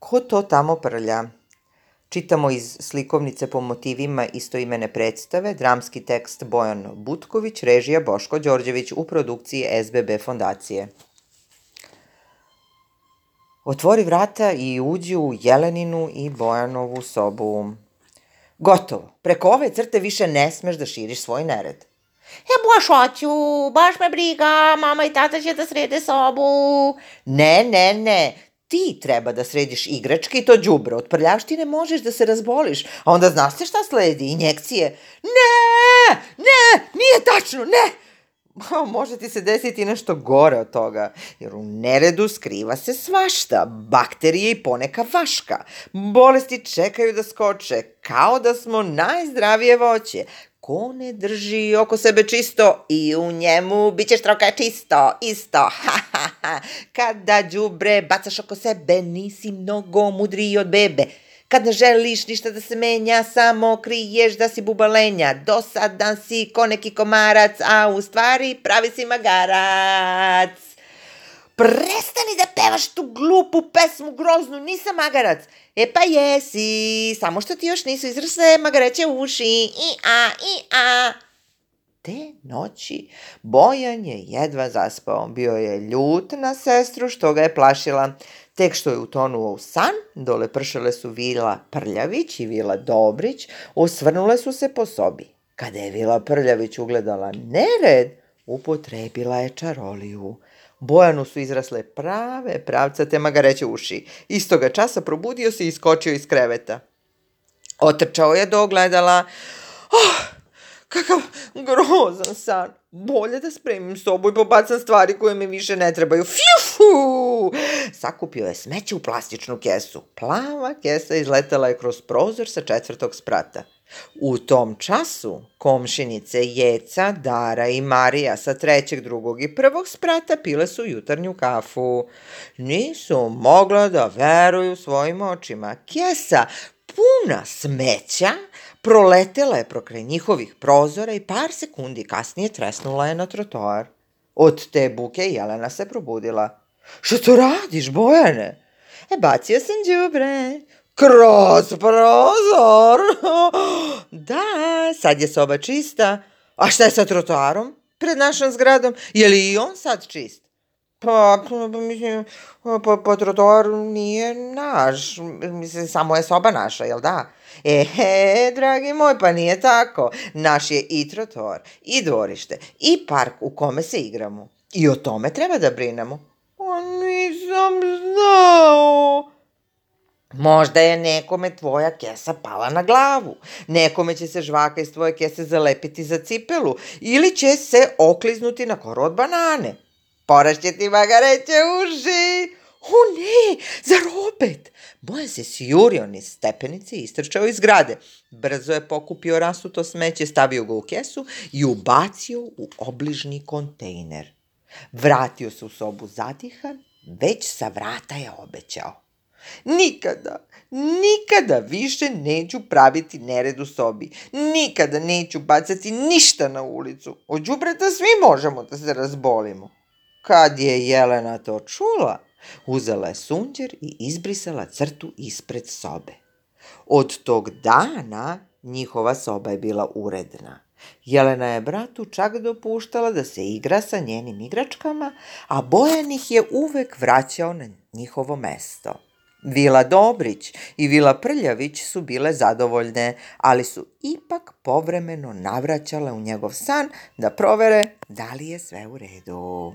Ko to tamo prlja? Čitamo iz slikovnice po motivima istoimene predstave, dramski tekst Bojan Butković, režija Boško Đorđević u produkciji SBB fondacije. Otvori vrata i uđi u Jeleninu i Bojanovu sobu. Gotovo, preko ove crte više ne smeš da širiš svoj nered. Baš hoću, baš me briga, mama i tata će da srede sobu. Ne, ti treba da središ igračke i to đubre. Od prljavštine možeš da se razboliš, a onda znaš se šta sledi, injekcije. Ne, nije tačno, ne! Može ti se desiti nešto gore od toga, jer u neredu skriva se svašta, bakterije i poneka vaška. Bolesti čekaju da skoče, kao da smo najzdravije voće. Ko ne drži oko sebe čisto i u njemu bit će štroka čisto, isto. Kada đubre bacaš oko sebe, nisi mnogo mudriji od bebe. Kad ne želiš ništa da se menja, samo kriješ da si bubalenja. Dosadan si ko neki komarac, a u stvari pravi si magarac. Prestani da pevaš tu glupu pesmu groznu, nisam magarac. Pa jesi, samo što ti još nisu izrasle magareće uši. Te noći Bojan je jedva zaspao. Bio je ljut na sestru što ga je plašila. Tek što je utonuo u san, dole pršale su Vila Prljavić i Vila Dobrić, osvrnule su se po sobi. Kada je Vila Prljavić ugledala nered, upotrebila je čaroliju. Bojanu su izrasle prave pravcate magareće uši. Istoga časa probudio se i iskočio iz kreveta. Otrčao je do ogledala. Kakav grozan san. Bolje da spremim sobu i pobacam stvari koje mi više ne trebaju. Fjuhu! Sakupio je smeće u plastičnu kesu. Plava kesa izletela je kroz prozor sa 4. sprata. U tom času komšinice Jeca, Dara i Marija sa 3., 2. i 1. sprata pile su jutarnju kafu. Nisu mogla da veruju svojim očima. Kesa puna smeća proletela je pokraj njihovih prozora i par sekundi kasnije tresnula je na trotoar. Od te buke Jelena se probudila. Što to radiš, Bojane? Bacio sam đubre. Kroz prozor? Da, sad je soba čista. A šta je sa trotoarom pred našom zgradom? Je li i on sad čist? Mislim, trotoar nije naš, mislim, samo je soba naša, jel da? Dragi moj, pa nije tako. Naš je i trotoar, i dvorište, i park u kome se igramo. I o tome treba da brinemo. Nisam znao. Možda je nekome tvoja kesa pala na glavu, nekome će se žvaka iz tvoje kese zalepiti za cipelu ili će se okliznuti na koru od banane. Porašće ti magareće uši. Ne, zar opet? Bojan se sjurio niz stepenice i istrčao iz zgrade. Brzo je pokupio rasuto smeće, stavio ga u kesu i ubacio u obližnji kontejner. Vratio se u sobu zadihan, već sa vrata je obećao. Nikada više neću praviti nered u sobi. Nikada neću bacati ništa na ulicu. Od đubreta svi možemo da se razbolimo. Kad je Jelena to čula, uzela je sunđer i izbrisala crtu ispred sobe. Od tog dana njihova soba je bila uredna. Jelena je bratu čak dopuštala da se igra sa njenim igračkama, a Bojan ih je uvek vraćao na njihovo mesto. Vila Dobrić i Vila Prljavić su bile zadovoljne, ali su ipak povremeno navraćale u njegov san da provere da li je sve u redu.